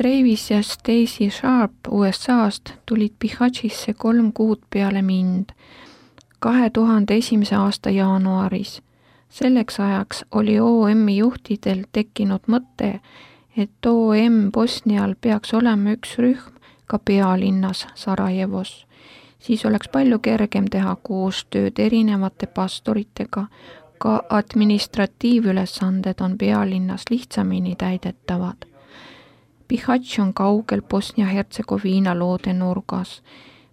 Travis ja Stacy Sharp USA-st tulid Bihaćisse 3 kuud peale mind 2001. aasta jaanuaris. Selleks ajaks oli OM-i juhtidel tekkinud mõte, et OM Bosnial peaks olema üks rühm ka pealinnas Sarajevos. Siis oleks palju kergem teha koostööd erinevate pastoritega, ka administratiivülesanded on pealinnas lihtsamini täidetavad. Bihać on kaugel Bosnia-Hertsegoviina loode nurgas.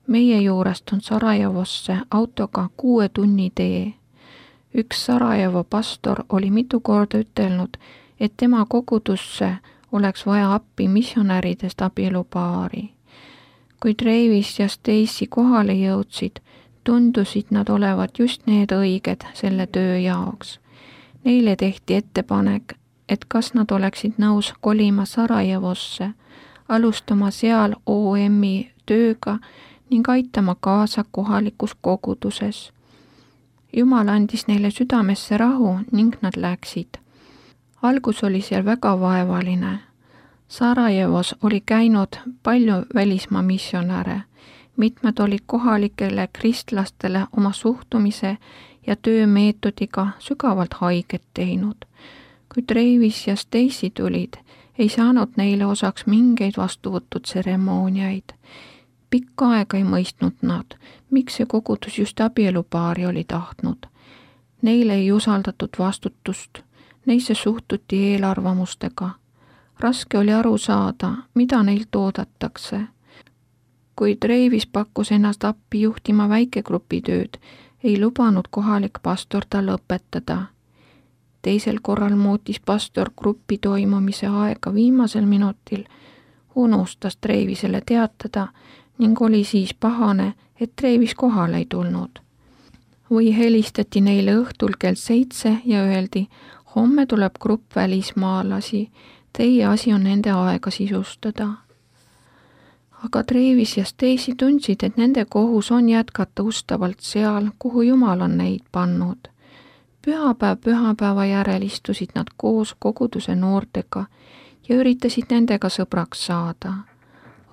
Meie juurest on Sarajevosse autoga 6 tunni tee. Üks Sarajevo pastor oli mitu korda ütelnud, et tema kogudusse oleks vaja appi missionäridest abielupaari. Kui Travis ja Stacy kohale jõudsid, tundusid nad olevat just need õiged selle töö jaoks. Neile tehti ettepanek, et kas nad oleksid nõus kolima Sarajevosse, alustama seal OM-i tööga ning aitama kaasa kohalikus koguduses. Jumal andis neile südamesse rahu ning nad läksid. Algus oli seal väga vaevaline. Sarajevos oli käinud palju välismaa missionäre. Mitmed olid kohalikele kristlastele oma suhtumise ja töömeetodiga sügavalt haiget teinud. Kui Travis ja Stacy tulid, ei saanud neile osaks mingeid vastuvõtutseremooniaid. Pikka aega ei mõistnud nad, miks see kogudus just abielupaari oli tahtnud. Neile ei usaldatud vastutust, neisse suhtuti eelarvamustega. Raske oli aru saada, mida neilt oodatakse. Kui Travis pakkus ennast appi juhtima väikegrupi tööd, ei lubanud kohalik pastor tal õpetada. Teisel korral muutis pastor grupi toimumise aega viimasel minutil, unustas Travisele teatada ning oli siis pahane, et Travis kohale ei tulnud. Või helistati neile õhtul kell 7 ja öeldi, homme tuleb grupp välismaalasi, teie asi on nende aega sisustada. Aga Travis ja Stacy tundsid, et nende kohus on jätkata ustavalt seal, kuhu Jumal on neid pannud. Pühapäev pühapäeva järel istusid nad koos koguduse noortega ja üritasid nendega sõbraks saada.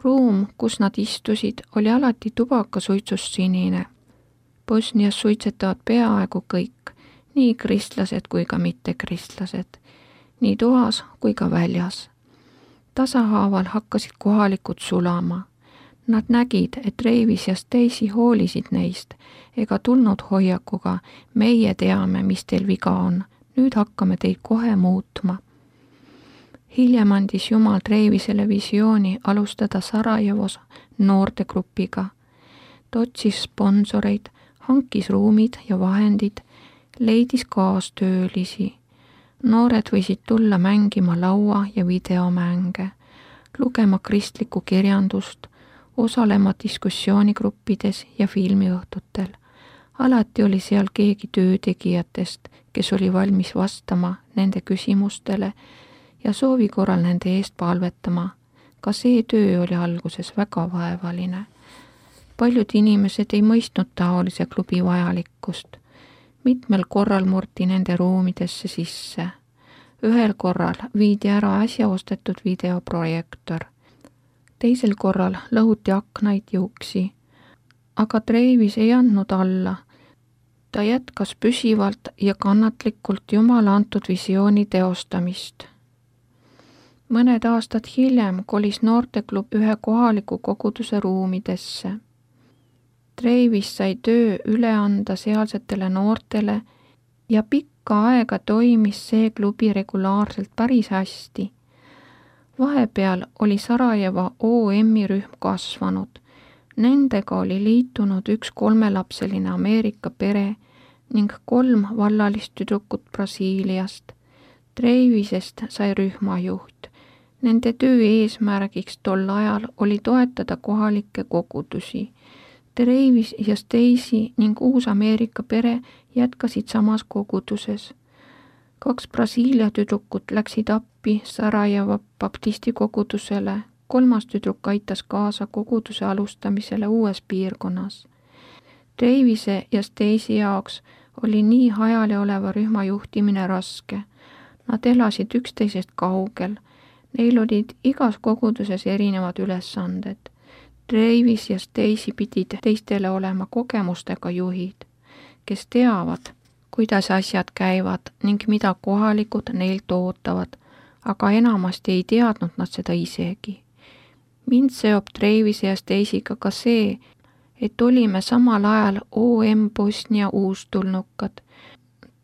Ruum, kus nad istusid, oli alati tubakasuitsust sinine. Bosnias suitsetavad peaaegu kõik, nii kristlased kui ka mittekristlased, nii toas kui ka väljas. Tasahaaval hakkasid kohalikud sulama. Nad nägid, et Travis ja Stacy hoolisid neist ega tulnud hoiakuga, meie teame, mis teil viga on, nüüd hakkame teid kohe muutma. Hiljem andis Jumal Travisele visiooni alustada Sarajevos noortegrupiga. Ta otsis sponsoreid, hankis ruumid ja vahendid, leidis kaastöölisi. Noored võisid tulla mängima laua- ja videomänge, lugema kristlikku kirjandust, osalema diskussioonigruppides ja filmiõhtutel. Alati oli seal keegi töötegijatest, kes oli valmis vastama nende küsimustele ja soovi korral nende eest palvetama. Ka see töö oli alguses väga vaevaline. Paljud inimesed ei mõistnud taolise klubi vajalikkust. Mitmel korral murti nende ruumidesse sisse. Ühel korral viidi ära äsja ostetud videoprojektor. Teisel korral lõhuti aknaid ja uksi. Aga Travis ei andnud alla. Ta jätkas püsivalt ja kannatlikult Jumala antud visiooni teostamist. Mõned aastad hiljem kolis noorteklub ühe kohaliku koguduse ruumidesse. Travis sai töö üle anda sealsetele noortele ja pikka aega toimis see klubi regulaarselt päris hästi. Vahepeal oli Sarajevo OM-i rühm kasvanud. Nendega oli liitunud üks 3-lapseline Ameerika pere ning 3 vallalist tüdrukut Brasiiliast. Travisest sai rühmajuht. Nende töö eesmärgiks tol ajal oli toetada kohalikke kogudusi. Travis ja Stacy ning uus Ameerika pere jätkasid samas koguduses. 2 Brasiilia tüdrukut läksid appi Sarajevo baptisti kogudusele, 3. tüdruk aitas kaasa koguduse alustamisele uues piirkonnas. Travise ja Stacy jaoks oli nii hajali oleva rühma juhtimine raske. Nad elasid üksteisest kaugel. Neil olid igas koguduses erinevad ülesanded. Travis ja Stacy pidid teistele olema kogemustega juhid, kes teavad, kuidas asjad käivad ning mida kohalikud neilt ootavad, aga enamasti ei teadnud nad seda isegi. Mind seob Travise ja Stacy'ga ka see, et olime samal ajal OM Bosnia uustulnukad.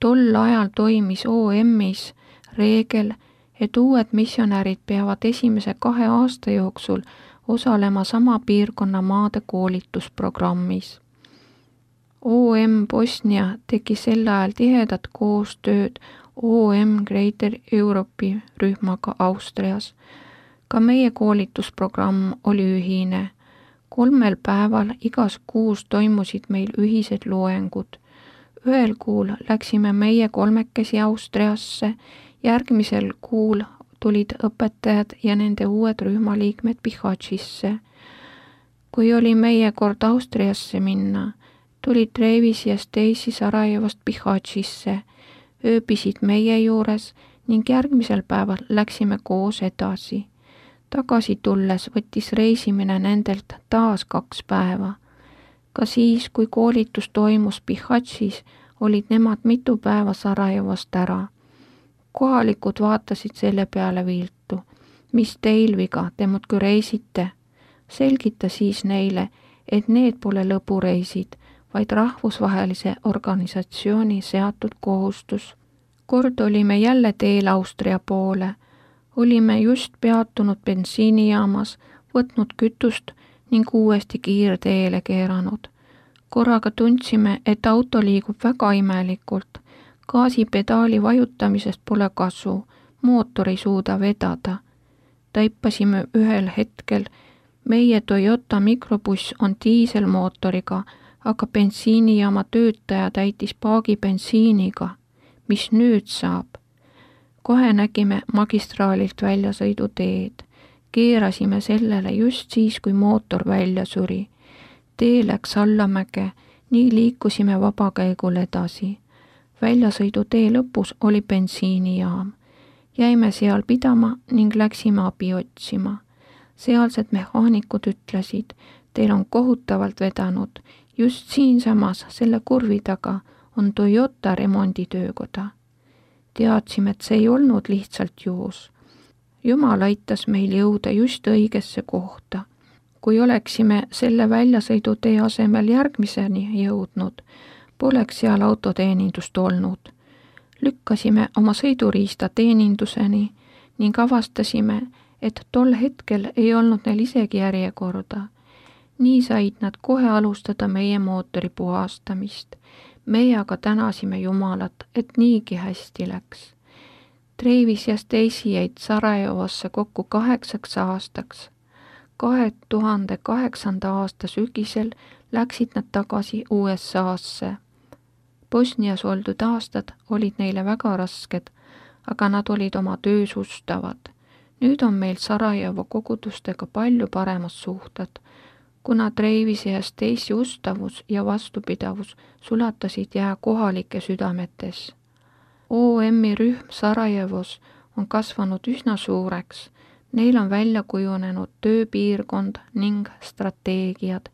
Tol ajal toimis OM-is reegel, et uued missionärid peavad esimese 2 aasta jooksul osalema sama piirkonna maade koolitusprogrammis. OM Bosnia tegi sel ajal tihedat koostööd OM Greater Europe'i rühmaga Austrias. Ka meie koolitusprogramm oli ühine. 3 päeval igas kuus toimusid meil ühised loengud. Ühel kuul läksime meie 3 Austriasse, järgmisel kuul tulid õpetajad ja nende uued rühmaliikmed Bihaćisse. Kui oli meie kord Austriasse minna, tulid Travis ja Stacy Sarajevost Bihaćisse, ööbisid meie juures ning järgmisel päeval läksime koos edasi. Tagasi tulles võttis reisimine nendelt taas 2 päeva. Ka siis, kui koolitus toimus Bihaćis, olid nemad mitu päeva Sarajevost ära. Kohalikud vaatasid selle peale viltu. Mis teil viga, te muudkui reisite? Selgita siis neile, et need pole lõbureisid, vaid rahvusvahelise organisatsiooni seatud kohustus. Kord olime jälle teel Austria poole. Olime just peatunud bensiinijaamas, võtnud kütust ning uuesti kiirteele keeranud. Korraga tundsime, et auto liigub väga imelikult. Gaasipedaali vajutamisest pole kasu, mootor ei suuda vedada. Taipasime ühel hetkel, meie Toyota mikrobuss on diiselmootoriga, aga bensiinijaama töötaja täitis paagi bensiiniga. Mis nüüd saab? Kohe nägime magistraalilt väljasõiduteed. Keerasime sellele just siis, kui mootor välja suri. Tee läks allamäge, nii liikusime vabakäigul edasi. Väljasõidutee lõpus oli bensiinijaam. Jäime seal pidama ning läksime abi otsima. Sealsed mehaanikud ütlesid, teil on kohutavalt vedanud. Just siinsamas selle kurvi taga on Toyota remonditöökoda. Teadsime, et see ei olnud lihtsalt juhus. Jumal aitas meil jõuda just õigesse kohta. Kui oleksime selle väljasõidutee asemel järgmiseni jõudnud, poleks seal autoteenindust olnud. Lükkasime oma sõiduriista teeninduseni ning avastasime, et tol hetkel ei olnud neil isegi järjekorda. Nii said nad kohe alustada meie mootori puhastamist. Meie aga tänasime Jumalat, et niigi hästi läks. Travis ja Stacy jäid Sarajevosse kokku 8 aastaks. 2008. aasta sügisel läksid nad tagasi USA-sse. Bosnias oldud aastad olid neile väga rasked, aga nad olid oma töös ustavad. Nüüd on meil Sarajevo kogudustega palju paremad suhted, kuna Travise ja Stacy ustavus ja vastupidavus sulatasid jää kohalike südametes. OM-i rühm Sarajevos on kasvanud üsna suureks. Neil on välja kujunenud tööpiirkond ning strateegiad,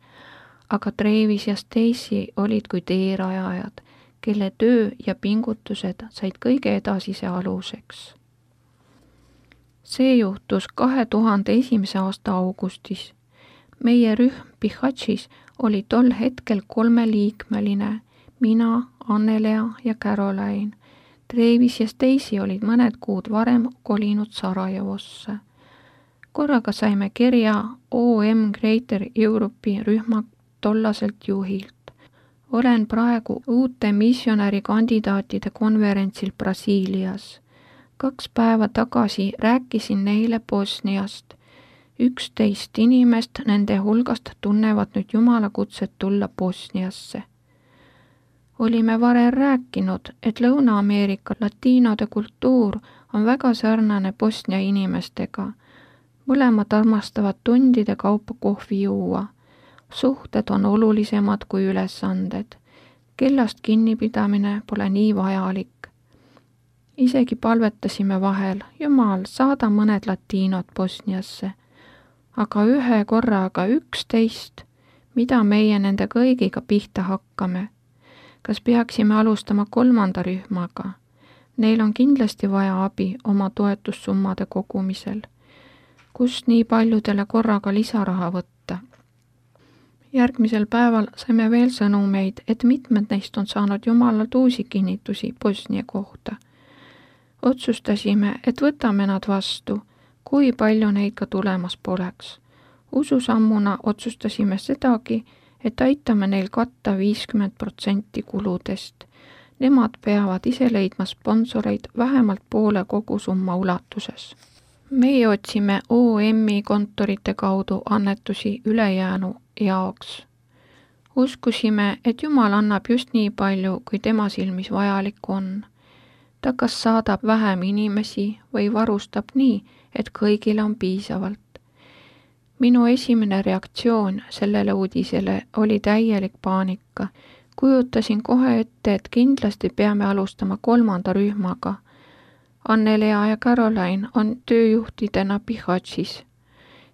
aga Travis ja Stacy olid kui teerajajad, kelle töö ja pingutused said kõige edasise aluseks. See juhtus 2001. aasta augustis. Meie rühm Bihaćis oli tol hetkel 3-liikmeline, mina, Annelea ja Caroline. Travis ja Stacy olid mõned kuud varem kolinud Sarajevosse. Korraga saime kirja OM Greater Europe'i rühma tollaselt juhilt. Olen praegu uute missionärikandidaatide konverentsil Brasiilias. 2 päeva tagasi rääkisin neile Bosniast. 11 inimest nende hulgast tunnevad nüüd Jumala kutset tulla Bosniasse. Olime varem rääkinud, et Lõuna-Ameerika latiinode kultuur on väga sarnane Bosnia inimestega. Mõlemad armastavad tundide kaupa kohvi juua. Suhted on olulisemad kui ülesanded. Kellast kinnipidamine pole nii vajalik. Isegi palvetasime vahel, Jumal, saada mõned latiinod Bosniasse. Aga ühe korraga 11, mida meie nende kõigiga pihta hakkame? Kas peaksime alustama 3. rühmaga? Neil on kindlasti vaja abi oma toetussummade kogumisel. Kust nii paljudele korraga lisaraha võtta? Järgmisel päeval saime veel sõnumeid, et mitmed neist on saanud Jumalalt uusi kinnitusi Bosnia kohta. Otsustasime, et võtame nad vastu, kui palju neid ka tulemas poleks. Ususammuna otsustasime sedagi, et aitame neil katta 50% kuludest. Nemad peavad ise leidma sponsoreid vähemalt poole kogusumma ulatuses. Meie otsime OM-i kontorite kaudu annetusi ülejäänu jaoks. Uskusime, et Jumal annab just nii palju, kui tema silmis vajalik on. Ta kas saadab vähem inimesi või varustab nii, et kõigile on piisavalt. Minu esimene reaktsioon sellele uudisele oli täielik paanika. Kujutasin kohe ette, et kindlasti peame alustama 3. rühmaga. Annelea ja Caroline on tööjuhtidena Bihaćis.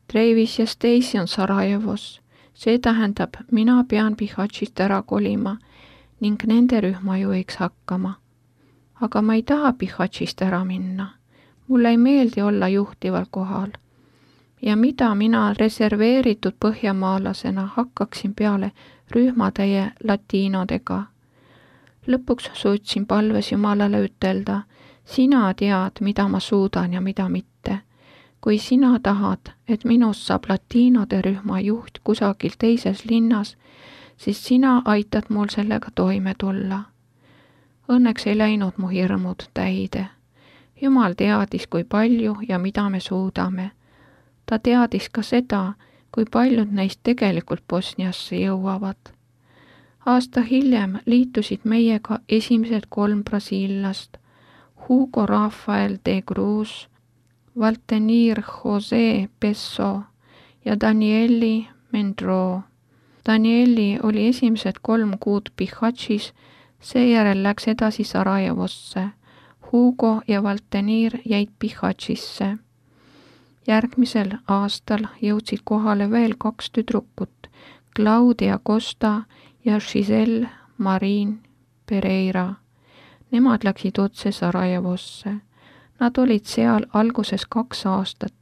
Travis ja Stacy on Sarajevos. See tähendab, mina pean Bihaćist ära kolima ning nende rühma juhiks hakkama. Aga ma ei taha Bihaćist ära minna. Mulle ei meeldi olla juhtival kohal. Ja mida mina reserveeritud põhjamaalasena hakkaksin peale rühmatäie latiinodega. Lõpuks suutsin palves Jumalale ütelda, sina tead, mida ma suudan ja mida mitte. Kui sina tahad, et minust saab latiinode rühma juht kusagil teises linnas, siis sina aitad mul sellega toime tulla. Õnneks ei läinud mu hirmud täide. Jumal teadis, kui palju ja mida me suudame. Ta teadis ka seda, kui paljud neist tegelikult Bosniasse jõuavad. Aasta hiljem liitusid meiega esimesed 3 brasiillast, Hugo Rafael de Cruz, Valtenir José Pesso ja Danieli Mendro. Danieli oli esimesed 3 kuud Bihaćis, seejärel läks edasi Sarajevosse. Hugo ja Valtenir jäid Bihaćisse. Järgmisel aastal jõudsid kohale veel 2 tüdrukut, Claudia Costa ja Giselle Marin Pereira. Nemad läksid otse Sarajevosse. Nad olid seal alguses 2 aastat.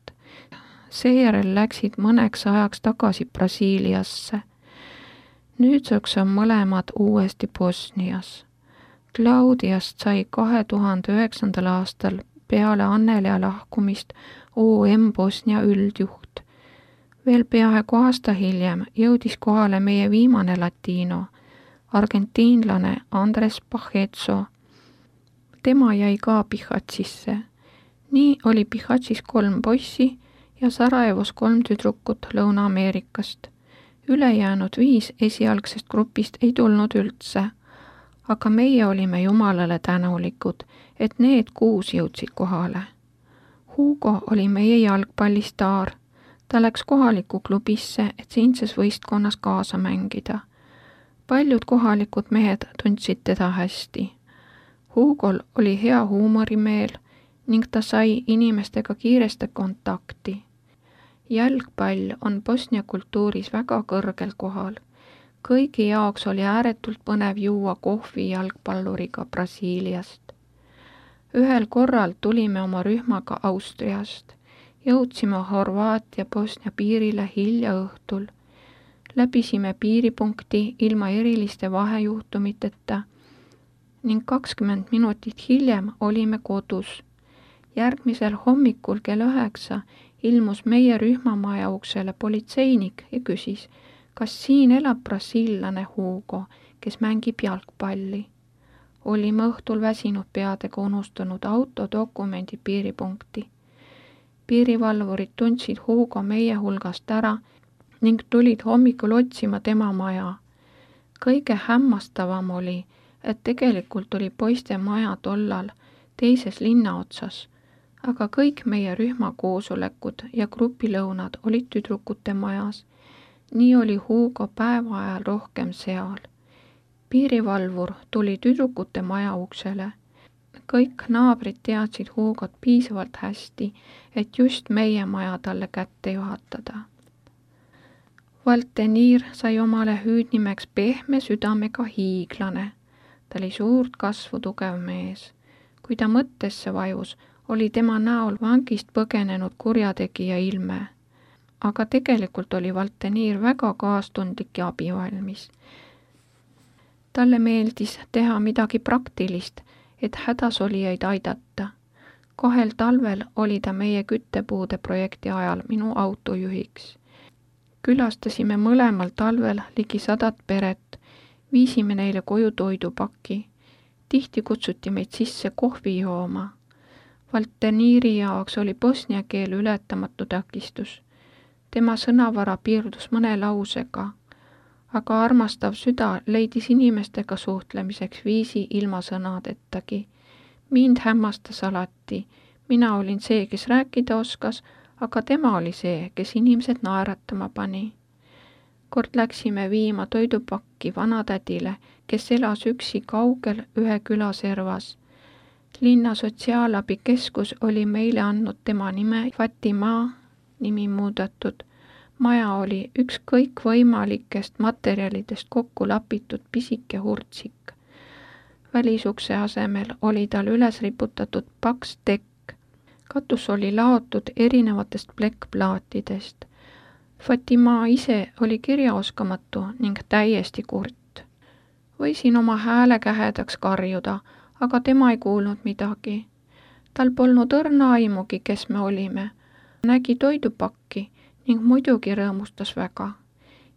Seejärel läksid mõneks ajaks tagasi Brasiiliasse. Nüüdseks on mõlemad uuesti Bosnias. Claudiast sai 2009. aastal peale Annelea lahkumist OM Bosnia üldjuht. Veel peaaegu aasta hiljem jõudis kohale meie viimane latiino, argentiinlane Andres Pajetso. Tema jäi ka Bihaćisse. Nii oli Bihaćis 3 poissi ja Sarajevos 3 tüdrukut Lõuna-Ameerikast. Ülejäänud 5 esialgsest grupist ei tulnud üldse, aga meie olime Jumalale tänulikud, et need 6 jõudsid kohale. Hugo oli meie jalgpallistaar. Ta läks kohalikku klubisse, et siinses võistkonnas kaasa mängida. Paljud kohalikud mehed tundsid teda hästi. Hugol oli hea huumorimeel ning ta sai inimestega kiiresti kontakti. Jalgpall on Bosnia kultuuris väga kõrgel kohal. Kõigi jaoks oli ääretult põnev juua kohvi jalgpalluriga Brasiiliast. Ühel korral tulime oma rühmaga Austriast. Jõudsime Horvaatia-Bosnia piirile hilja õhtul. Läbisime piiripunkti ilma eriliste vahejuhtumiteta ning 20 minutit hiljem olime kodus. Järgmisel hommikul kell 9 ilmus meie rühmamaja uksele politseinik ja küsis, kas siin elab brasiillane Hugo, kes mängib jalgpalli. Olime õhtul väsinud peadega unustanud autodokumendi piiripunkti. Piirivalvurid tundsid Hugo meie hulgast ära ning tulid hommikul otsima tema maja. Kõige hämmastavam oli, et tegelikult oli poiste maja tollal teises linnaotsas, aga kõik meie rühma koosolekud ja grupilõunad olid tüdrukute majas. Nii oli Hugo päeva ajal rohkem seal. Piirivalvur tuli tüdrukute maja uksele. kõik naabrid teadsid Hugot piisavalt hästi, et just meie maja talle kätte juhatada. Valteniir sai omale hüüdnimeks pehme südamega hiiglane. Ta oli suurt kasvu tugev mees. Kui ta mõttesse vajus, oli tema näol vangist põgenenud kurjategija ilme. Aga tegelikult oli Valteniir väga kaastundlik ja abivalmis. Talle meeldis teha midagi praktilist, et hädasolijaid aidata. 2 talvel oli ta meie küttepuude projekti ajal minu autojuhiks. Külastasime mõlemal talvel ligi 100 peret, viisime neile koju toidupaki. Tihti kutsuti meid sisse kohvi jooma. Valteniiri jaoks oli bosnia keel ületamatu takistus. Tema sõnavara piirdus mõne lausega, aga armastav süda leidis inimestega suhtlemiseks viisi ilma sõnadettagi. Mind hämmastas alati. Mina olin see, kes rääkida oskas, aga tema oli see, kes inimesed naeratama pani. Kord läksime viima toidupakki vanatädile, kes elas üksi kaugel ühe küla servas. Linna sotsiaalabikeskus oli meile andnud tema nime Fatima, nimi muudetud. Maja oli ükskõik võimalikest materjalidest kokku lapitud pisike hurtsik. Välisukse asemel oli tal üles riputatud paks tekk. Katus oli laotud erinevatest plekkplaatidest. Fatima ise oli kirjaoskamatu ning täiesti kurt. Võisin oma hääle kähedaks karjuda, aga tema ei kuulnud midagi. Tal polnud õrna aimugi, kes me olime. Nägi toidupakki ning muidugi rõõmustas väga.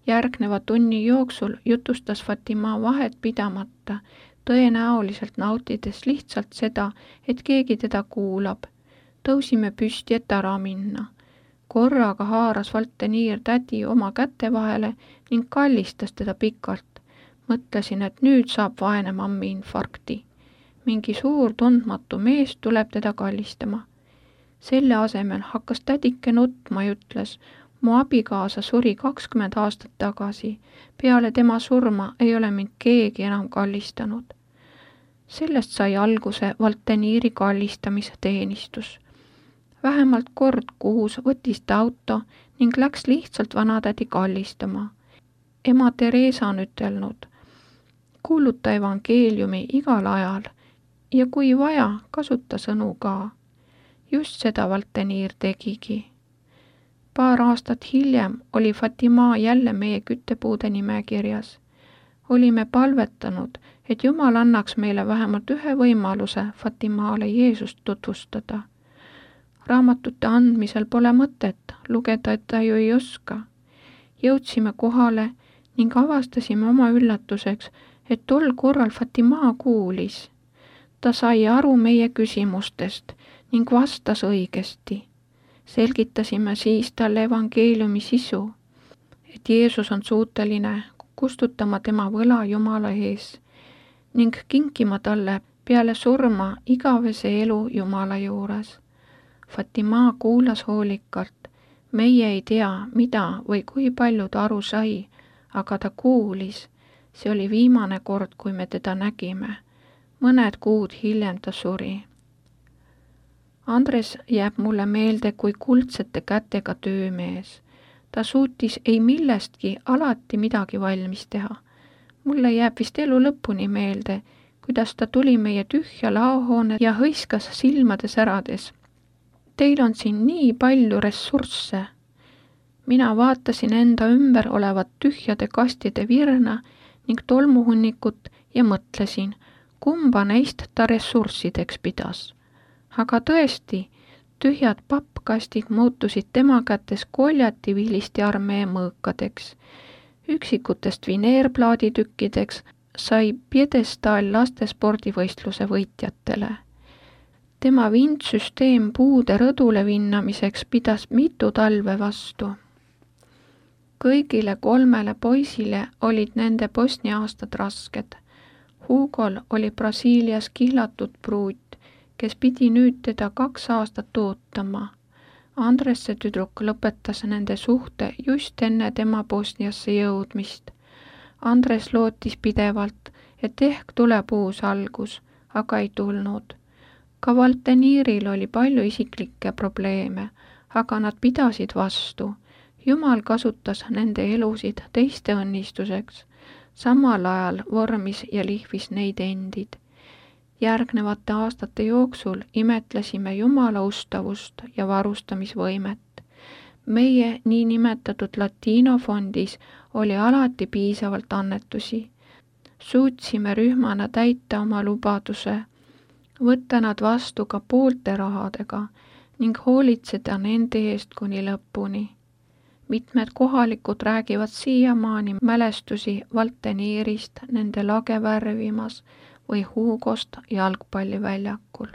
Järgneva tunni jooksul jutustas Fatima vahet pidamata, tõenäoliselt nautides lihtsalt seda, et keegi teda kuulab. Tõusime püsti, et ära minna. Korraga haaras Valteniir tädi oma käte vahele ning kallistas teda pikalt. Mõtlesin, et nüüd saab vaene mammi infarkti. Mingi suur tundmatu mees tuleb teda kallistama. Selle asemel hakkas tädike nutma ja ütles, mu abikaasa suri 20 aastat tagasi. Peale tema surma ei ole mind keegi enam kallistanud. Sellest sai alguse Valteniiri kallistamisteenistus. Vähemalt kord kuus võttis ta auto ning läks lihtsalt vanatädi kallistama. Ema Theresa on ütelnud, kuuluta evangeeliumi igal ajal ja kui vaja, kasuta sõnu ka. Just seda Valteniir tegigi. Paar aastat hiljem oli Fatima jälle meie küttepuude nimekirjas. Olime palvetanud, et Jumal annaks meile vähemalt ühe võimaluse Fatimale Jeesust tutvustada. Raamatute andmisel pole mõtet, lugeda ta ju ei oska. Jõudsime kohale ning avastasime oma üllatuseks, et tol korral Fatima kuulis. Ta sai aru meie küsimustest ning vastas õigesti. Selgitasime siis talle evangeeliumi sisu, et Jeesus on suuteline kustutama tema võla Jumala ees ning kinkima talle peale surma igavese elu Jumala juures. Fatima kuulas hoolikalt. Meie ei tea, mida või kui palju ta aru sai, aga ta kuulis. See oli viimane kord, kui me teda nägime. Mõned kuud hiljem ta suri. Andres jääb mulle meelde kui kuldsete kätega töömees. Ta suutis ei millestki alati midagi valmis teha. Mulle jääb vist elu lõpuni meelde, kuidas ta tuli meie tühja laohoone ja hõiskas silmade särades. Teil on siin nii palju ressursse. Mina vaatasin enda ümber olevat tühjade kastide virna ning tolmuhunnikut ja mõtlesin, kumba neist ta ressurssideks pidas. Aga tõesti, tühjad pappkastid muutusid tema kätes koljativiilisti armee mõõkadeks. Üksikutest vineerplaaditükkideks sai piedestaal lastespordivõistluse võitjatele. Tema vindsüsteem puude rõdule vinnamiseks pidas mitu talve vastu. Kõigile 3 poisile olid nende Bosnia aastad rasked. Hugol oli Brasiilias kihlatud pruut, kes pidi nüüd teda 2 aastat ootama. Andresse tüdruk lõpetas nende suhte just enne tema Bosniasse jõudmist. Andres lootis pidevalt, et ehk tuleb uus algus, aga ei tulnud. ka Valteniiril oli palju isiklikke probleeme, aga nad pidasid vastu. Jumal kasutas nende elusid teiste õnnistuseks, samal ajal vormis ja lihvis neid endid. Järgnevate aastate jooksul imetlesime Jumala ustavust ja varustamisvõimet. Meie niinimetatud Latino-fondis oli alati piisavalt annetusi. Suutsime rühmana täita oma lubaduse, võtta nad vastu ka poolte rahadega ning hoolitseda nende eest kuni lõpuni. Mitmed kohalikud räägivad siiamaani mälestusi Valteniirist nende lage värvimas või Hugost jalgpalliväljakul.